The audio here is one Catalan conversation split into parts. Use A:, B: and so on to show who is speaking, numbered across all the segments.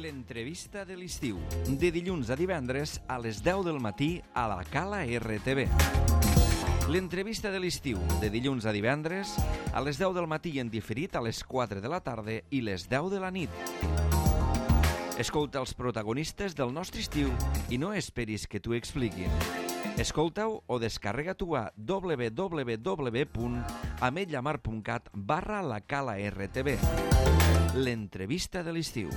A: L'entrevista de l'estiu, de dilluns a divendres a les 10 del matí a la Cala RTV. L'entrevista de l'estiu, de dilluns a divendres a les 10 del matí en diferit a les 4 de la tarda i les 10 de la nit. Escolta els protagonistes del nostre estiu i no esperis que t'ho expliquin. Escolta-ho o descarrega-t'ho a www.ametlllamar.cat/la-cala-rtv. L'entrevista de l'estiu.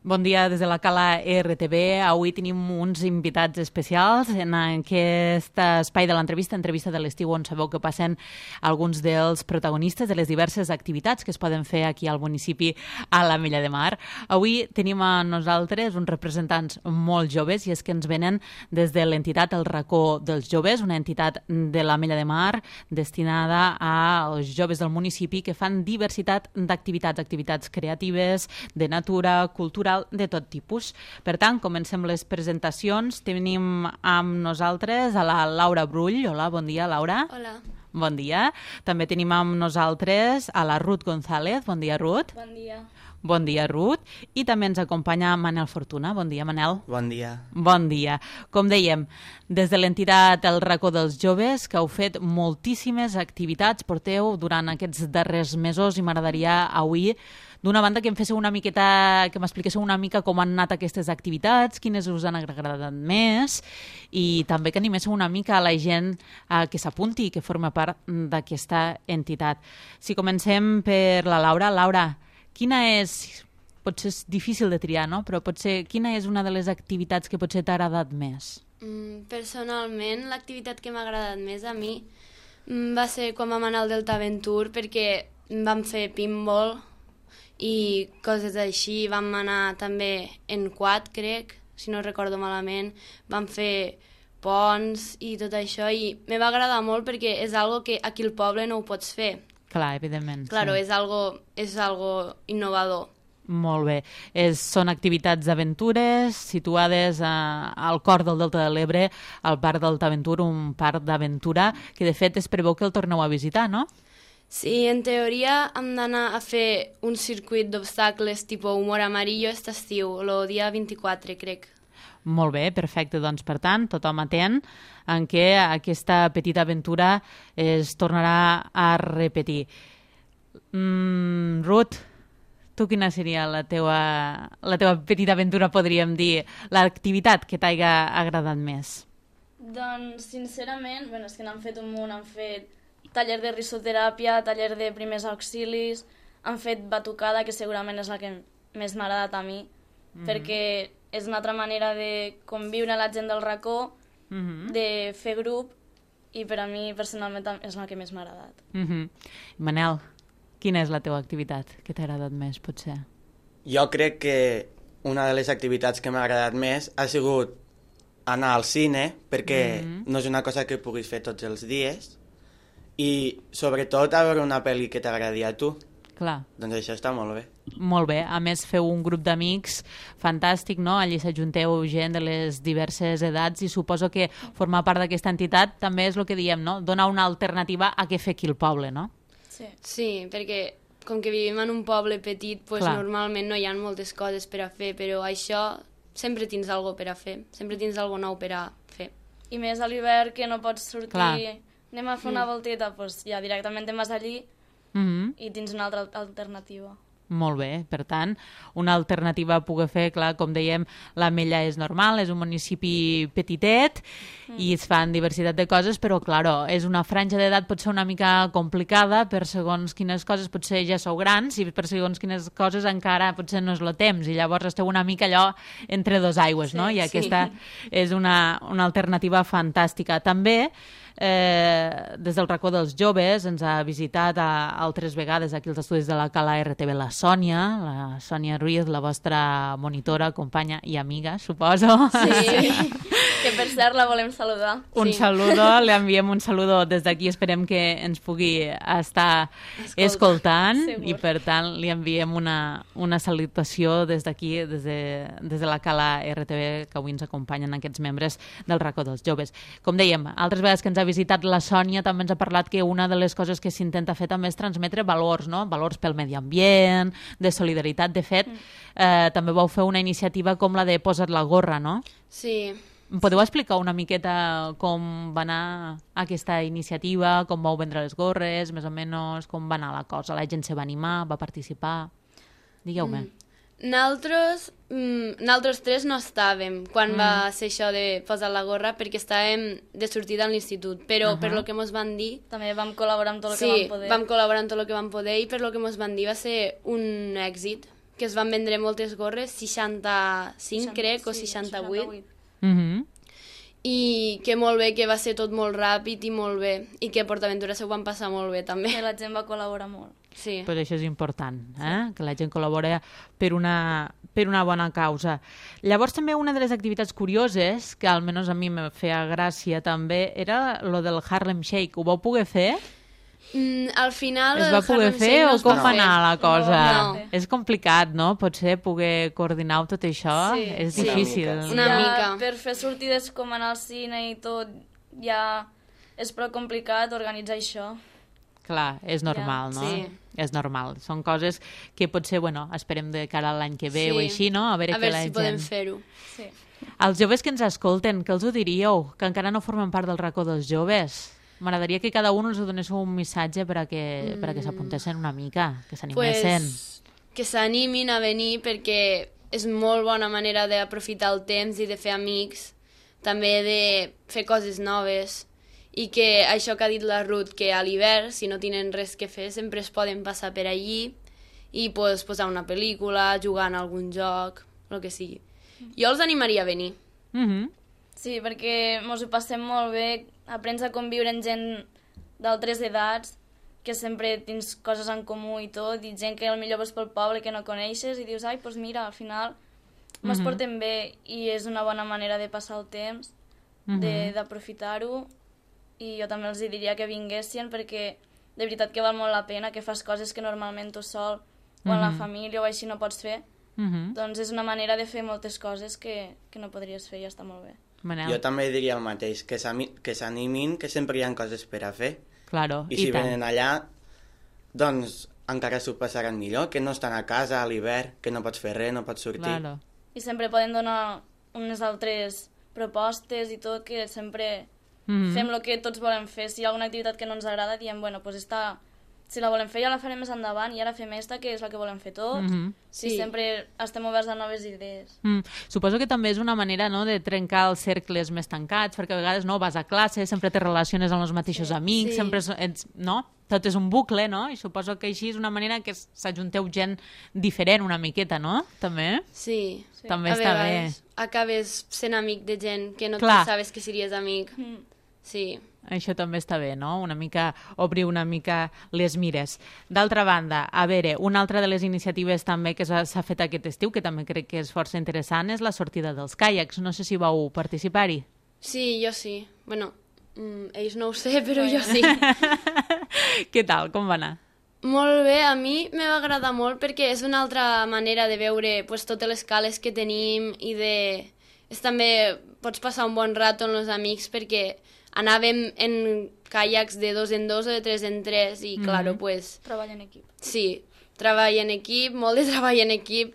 B: Bon dia des de la Cala RTV. Avui tenim uns invitats especials en aquest espai de l'entrevista, entrevista de l'estiu, on sabeu que passen alguns dels protagonistes de les diverses activitats que es poden fer aquí al municipi a l'Ametlla de Mar. Avui tenim a nosaltres uns representants molt joves i és que ens venen des de l'entitat El Racó dels Joves, una entitat de l'Ametlla de Mar destinada als joves del municipi que fan diversitat d'activitats, activitats creatives, de natura, cultural, de tot tipus. Per tant, comencem les presentacions. Tenim amb nosaltres a la Laura Brull. Hola, bon dia, Laura.
C: Hola.
B: Bon dia. També tenim amb nosaltres a la Ruth González. Bon dia, Ruth.
C: Bon dia.
B: Bon dia, Ruth. I també ens acompanya Manel Fortuna. Bon dia, Manel.
D: Bon dia.
B: Bon dia. Com dèiem, des de l'entitat El Racó dels Joves, que heu fet moltíssimes activitats, porteu durant aquests darrers mesos, i m'agradaria avui, d'una banda, que em féssiu una miqueta, que m'expliquéssiu una mica com han anat aquestes activitats, quines us han agradat més, i també que animéssiu una mica a la gent que s'apunti i que forma part d'aquesta entitat. Si comencem per la Laura. Laura, quina és, potser és difícil de triar, no? Però potser quina és una de les activitats que potser t'ha agradat més?
C: Personalment, l'activitat que m'ha agradat més a mi va ser quan vam anar al Delta Aventure, perquè vam fer pinball i coses així. Vam anar també en quad, crec, si no recordo malament. Vam fer ponts i tot això, i me va agradar molt perquè és algo que aquí al poble no ho pots fer.
B: Clar, evidentment.
C: Claro,
B: sí.
C: és algo innovador.
B: Molt bé. Són activitats d'aventures situades al cor del Delta de l'Ebre, al Parc Delta Aventure, un parc d'aventura que de fet es preveu que el torneu a visitar, no?
C: Sí, en teoria hem d'anar a fer un circuit d'obstacles tipus humor amarillo aquest estiu, el dia 24, crec.
B: Molt bé, perfecte. Doncs, per tant, tothom atent en què aquesta petita aventura es tornarà a repetir. Ruth, tu quina seria la teva petita aventura, podríem dir, l'activitat que t'haiga agradat més?
E: Doncs, sincerament, és que n'han fet un munt, han fet taller de risoteràpia, taller de primers auxilis, han fet batucada, que segurament és la que més m'ha agradat a mi, perquè és una altra manera de conviure la gent del racó, de fer grup, i per a mi personalment és la que més m'ha agradat.
B: Manel, quina és la teva activitat que t'ha agradat més, potser?
D: Jo crec que una de les activitats que m'ha agradat més ha sigut anar al cine, perquè no és una cosa que puguis fer tots els dies, i sobretot a veure una pel·li que t'agradi a tu.
B: Clar.
D: Doncs això està molt bé.
B: Molt bé. A més, feu un grup d'amics fantàstic, no? Allí s'ajunteu gent de les diverses edats i suposo que formar part d'aquesta entitat també és el que diem, no? Donar una alternativa a què fer aquí al poble, no?
C: Sí, perquè com que vivim en un poble petit, normalment no hi ha moltes coses per a fer, però això sempre tens alguna cosa per a fer, sempre tens alguna nou per a fer.
E: I més a l'hivern, que no pots sortir, anem a fer una volteta, doncs ja directament te'n vas allí i tens una altra alternativa.
B: Molt bé, per tant, una alternativa a poder fer, clar, com dèiem, l'Ametlla és normal, és un municipi petitet i es fan diversitat de coses, però, clar, és una franja d'edat potser una mica complicada, per segons quines coses potser ja sou grans i per segons quines coses encara potser no és el temps, i llavors esteu una mica allò entre dos aigües, no? I aquesta és una alternativa fantàstica. També des del racó dels joves ens ha visitat altres vegades aquí als estudis de la Cala RTV la Sònia Ruiz, la vostra monitora, companya i amiga, suposo.
E: Sí, que per cert la volem saludar.
B: Un saludo, li enviem un saludo des d'aquí, esperem que ens pugui estar escoltant i per tant li enviem una salutació des d'aquí, des de la Cala RTV, que avui ens acompanyen aquests membres del racó dels joves. Com dèiem, altres vegades que ens ha visitat la Sònia també ens ha parlat que una de les coses que s'intenta fer també és transmetre valors, no? Valors pel medi ambient, de solidaritat. De fet, també vau fer una iniciativa com la de Posa't la gorra, no?
C: Sí.
B: Em podeu explicar una miqueta com va anar aquesta iniciativa, com vau vendre les gorres, més o menys, com va anar la cosa? La gent se va animar, va participar? Digueu-me.
C: Nosaltres tres no estàvem quan va ser això de posar la gorra perquè estàvem de sortida a l'institut, però per lo que mos van dir...
E: També vam col·laborar amb tot el que vam poder.
C: Sí, vam col·laborar amb tot el que vam poder i per lo que mos van dir va ser un èxit, que es van vendre moltes gorres, 65 crec, o 68. I que molt bé, que va ser tot molt ràpid i molt bé, i que a PortAventura s'ho van passar molt bé també.
E: Que la gent va col·laborar molt.
C: Sí.
B: Pues això és important, que la gent col·labora per una bona causa. Llavors també una de les activitats curioses, que almenys a mi me feia gràcia també, era lo del Harlem Shake. Ho vau poder fer?
C: Al final...
B: Es va poder fer o com va anar la cosa?
C: No.
B: És complicat, no? Potser poder coordinar tot això és difícil.
C: Una mica.
E: Per fer sortides com anar al cine i tot, ja és prou complicat organitzar això.
B: Clar, és normal, no?
C: Sí.
B: És normal. Són coses que potser, bueno, esperem de cara a l'any que ve o així, no? A veure
C: si podem fer-ho.
E: Sí.
B: Els joves que ens escolten, què els ho diríeu? Que encara no formen part del racó dels joves. M'agradaria que cada un els donéssiu un missatge perquè s'apuntessin una mica, que s'animessin.
C: Pues, que s'animin a venir perquè és molt bona manera d'aprofitar el temps i de fer amics, també de fer coses noves, i que això que ha dit la Ruth, que a l'hivern, si no tenen res que fer, sempre es poden passar per allí i pues, posar una pel·lícula, jugar en algun joc, el que sigui. Jo els animaria a venir.
E: Sí, perquè ens ho passem molt bé, aprens a conviure amb gent d'altres edats, que sempre tens coses en comú i tot, i gent que potser vas pel poble que no coneixes i dius, ai, doncs mira, al final ens portem bé i és una bona manera de passar el temps, d'aprofitar-ho, i jo també els diria que vinguessin perquè de veritat que val molt la pena, que fas coses que normalment tu sol o en la família o així no pots fer, doncs és una manera de fer moltes coses que no podries fer i està molt bé.
B: Manel.
D: Jo també diria el mateix, que s'animin, que sempre hi ha coses per a fer.
B: Claro,
D: I si venen allà, doncs encara s'ho passaran millor, que no estan a casa a l'hivern, que no pots fer res, no pots sortir.
B: Claro.
E: I sempre poden donar unes altres propostes i tot, que sempre fem el que tots volem fer. Si hi ha alguna activitat que no ens agrada, diem, bueno, pues si la volem fer ja la farem més endavant i ara fem esta, que és la que volem fer tots. Sí, sempre estem oberts a noves idees.
B: Suposo que també és una manera, no, de trencar els cercles més tancats, perquè a vegades no vas a classe, sempre te relaciones amb els mateixos amics, sempre no? Tot és un bucle, no? I suposo que així és una manera que s'ajunteu gent diferent una miqueta, no? També?
C: Sí.
B: També està bé.
C: Acabes sent amic de gent que no sabies que series amic. Sí.
B: Això també està bé, no? Obrir una mica les mires. D'altra banda, a veure, una altra de les iniciatives també que s'ha fet aquest estiu, que també crec que és força interessant, és la sortida dels caiacs. No sé si vau participar-hi.
C: Sí, jo sí. Bueno, ells no ho sé, però jo sí.
B: Què tal? Com va anar?
C: Molt bé, a mi me va agradar molt perquè és una altra manera de veure pues, totes les cales que tenim i de... també pots passar un bon rato amb els amics perquè anàvem en caiacs de 2 en 2 o de 3 en 3 i, claro, pues...
E: Treball en equip.
C: Sí, treball en equip, molt de treball en equip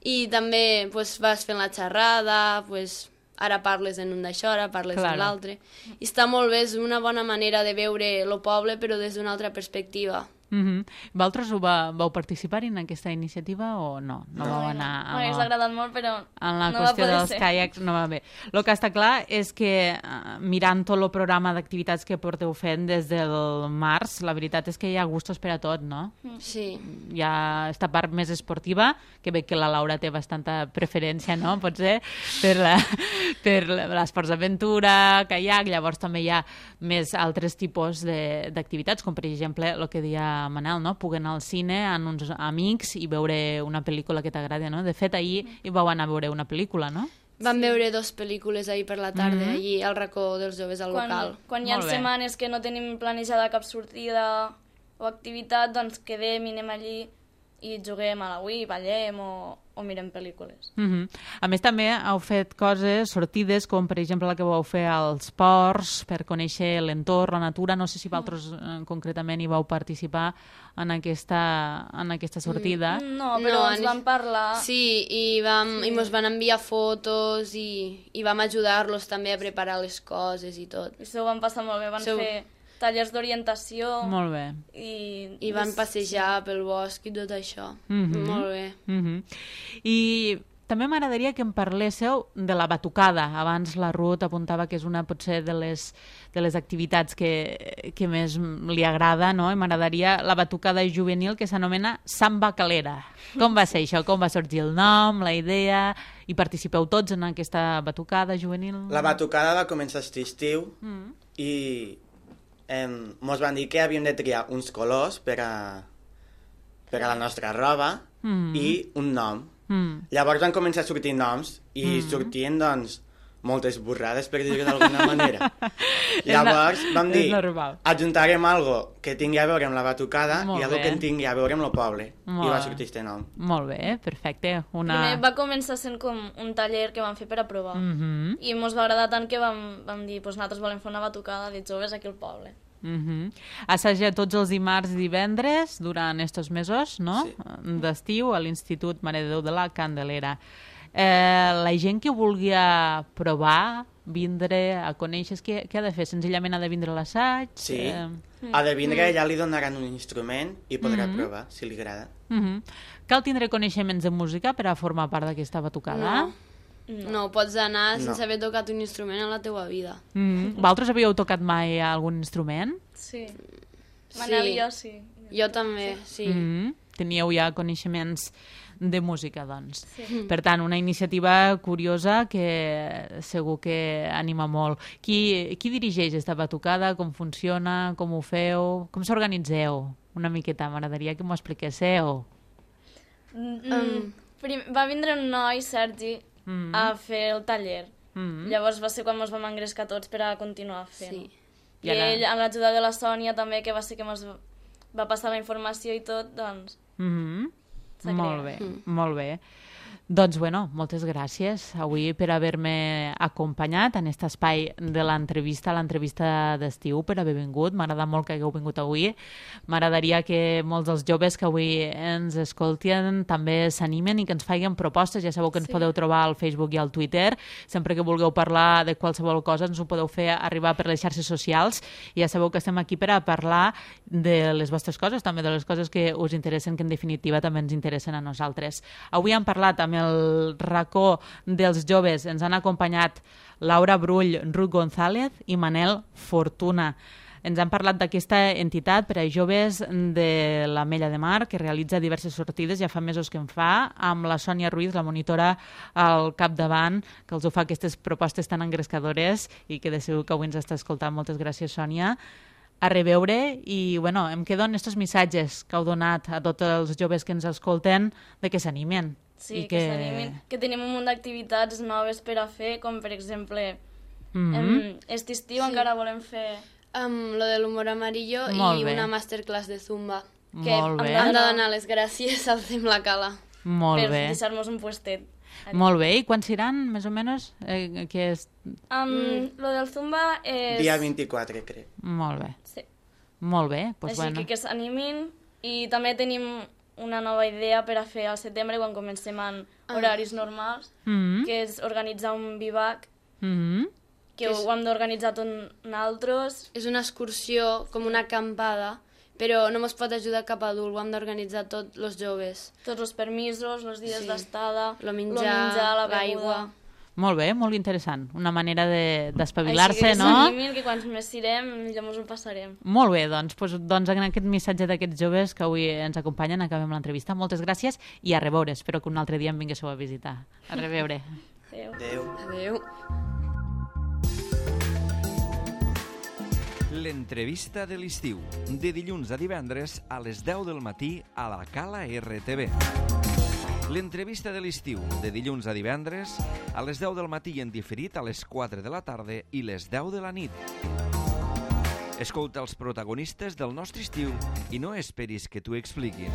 C: i també pues, vas fent la xerrada, pues, ara parles en un d'això, ara parles en l'altre. I està molt bé, és una bona manera de veure el poble però des d'una altra perspectiva.
B: Vosaltres vau participar en aquesta iniciativa o no? No vau anar...
E: M'hagués agradat molt, però
B: en la
E: no va
B: qüestió
E: poder
B: dels
E: ser.
B: caiacs no va bé. El que està clar és que mirant tot el programa d'activitats que porteu fent des del març, la veritat és que hi ha gustos per a tot, no?
C: Sí.
B: Hi ha esta part més esportiva, que veig que la Laura té bastanta preferència, no? Potser per l'esports d'aventura, caiac, llavors també hi ha més altres tipus d'activitats, com per exemple el que deia Manel, no? Poder anar al cine amb uns amics i veure una pel·lícula que t'agrada, no? De fet, ahir hi vau anar a veure una pel·lícula, no?
C: Vam veure 2 pel·lícules ahir per la tarda, allí al racó dels joves al local.
E: Quan hi ha
B: Molt bé.
E: setmanes que no tenim planejada cap sortida o activitat, doncs quedem i anem allí i juguem a la Wii, ballem o mirem pel·lícules.
B: A més, també heu fet coses, sortides, com per exemple la que vau fer als ports, per conèixer l'entorn, la natura. No sé si vosaltres concretament hi vau participar en aquesta sortida.
E: No, però ens vam parlar.
C: Sí, i mos van enviar fotos i vam ajudar-los també a preparar les coses i tot.
E: I s'ho van passar molt bé, van fer tallers d'orientació.
B: Molt bé.
C: I van passejar pel bosc i tot això. Molt bé.
B: I també m'agradaria que em parléssiu de la batucada. Abans la Ruth apuntava que és una potser de les activitats que més li agrada, no? I m'agradaria la batucada juvenil que s'anomena Samba Calera. Com va ser això? Com va sorgir el nom, la idea? I participeu tots en aquesta batucada juvenil?
D: La batucada va començar aquest estiu i mos van dir que havíem de triar uns colors per a la nostra roba i un nom. Llavors van començar a sortir noms i sortien, doncs, moltes burrades, per dir-ho d'alguna manera. Llavors vam dir, ajuntarem algo que tingui a veure amb la batucada i algo que tingui a veure amb el poble. I va sortir aquest nom.
B: Molt bé, perfecte.
E: Primer va començar sent com un taller que vam fer per a provar. I mos va agradar tant que vam dir, pues nosaltres volem fer una batucada de joves aquí al poble.
B: Assaja tots els dimarts i divendres durant estos mesos, no? Sí. D'estiu a l'Institut Mare de Déu de la Candelera. La gent que vulgui provar, vindre, a conèixer, què ha de fer? Senzillament ha de vindre a l'assaig?
D: Sí, ha de vindre, ja li donaran un instrument i podrà provar, si li agrada.
B: Cal tindre coneixements de música per a formar part d'aquesta batucada?
C: No, pots anar sense haver tocat un instrument en la teua vida.
B: Vosaltres havíeu tocat mai algun instrument?
E: Sí. Manel i jo, sí.
C: Jo també, sí.
B: Teníeu ja coneixements de música, doncs. Sí. Per tant, una iniciativa curiosa que segur que anima molt. Qui dirigeix esta batucada? Com funciona? Com ho feu? Com s'organitzeu? Una miqueta, m'agradaria que m'ho expliquéssiu.
E: Va vindre un noi, Sergi, a fer el taller. Llavors va ser quan ens vam engrescar tots per a continuar fent. Sí. I ell, amb l'ajuda de la Sònia també, que va ser que ens va passar la informació i tot, doncs...
B: Molt bé, molt bé. Doncs, bueno, moltes gràcies avui per haver-me acompanyat en aquest espai de l'entrevista d'estiu, per haver vingut. M'agrada molt que hagueu vingut avui. M'agradaria que molts dels joves que avui ens escolten també s'animen i que ens facin propostes. Ja sabeu que ens podeu trobar al Facebook i al Twitter. Sempre que vulgueu parlar de qualsevol cosa ens ho podeu fer arribar per les xarxes socials. I ja sabeu que estem aquí per a parlar de les vostres coses, també de les coses que us interessen, que en definitiva també ens interessen a nosaltres. Avui hem parlat amb el racó dels joves. Ens han acompanyat Laura Brull, Ruth González i Manel Fortuna. Ens han parlat d'aquesta entitat per a joves de l'Ametlla de Mar, que realitza diverses sortides, ja fa mesos que en fa, amb la Sònia Ruiz, la monitora al capdavant, que els ho fa aquestes propostes tan engrescadores i que de segur que avui ens està escoltant. Moltes gràcies, Sònia. A reveure, i bueno, em quedo en estos missatges que heu donat a tots els joves que ens escolten de que s'animen.
E: Sí, que s'animin, que tenim un munt d'activitats noves per a fer, com per exemple aquest estiu encara volem fer...
C: Lo de l'humor amarillo i una masterclass de Zumba. Que hem de donar les gràcies al Cim la Cala.
B: Molt bé.
E: Per deixar-nos un puestet.
B: Molt bé, i quan seran, més o menys?
E: Lo del Zumba és...
D: Dia 24, crec.
B: Molt bé.
E: Sí.
B: Molt bé, doncs
E: així
B: bueno.
E: que s'animin, i també tenim una nova idea per a fer al setembre, quan comencem en horaris normals, que és organitzar un vivac, que ho hem d'organitzar tots nosaltres.
C: És una excursió, com una acampada, però no mos pot ajudar cap adult, ho hem d'organitzar tots els joves.
E: Tots els permisos, els dies d'estada,
C: Lo menjar,
E: la beguda.
C: l'aigua.
B: Molt bé, molt interessant. Una manera d'espavilar-se,
E: Així que
B: no?
E: s'animin, que quants més sirem, millor ens ho passarem.
B: Molt bé, doncs en aquest missatge d'aquests joves que avui ens acompanyen acabem l'entrevista. Moltes gràcies i a reveure. Espero que un altre dia em vinguéssiu a visitar. A reveure.
E: Adéu.
D: Adéu.
C: Adéu.
A: L'entrevista de l'estiu, de dilluns a divendres a les 10 del matí a la Cala RTV. L'entrevista de l'estiu, de dilluns a divendres a les 10 del matí i en diferit a les 4 de la tarda i les 10 de la nit. Escolta els protagonistes del nostre estiu i no esperis que t'ho expliquin.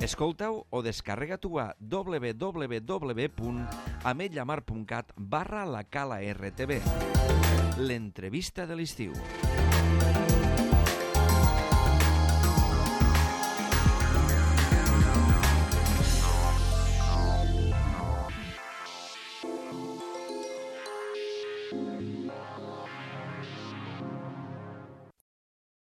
A: Escolta-ho o descarrega-t'ho a www.ametlllamar.cat/la Cala RTV. L'entrevista de l'estiu.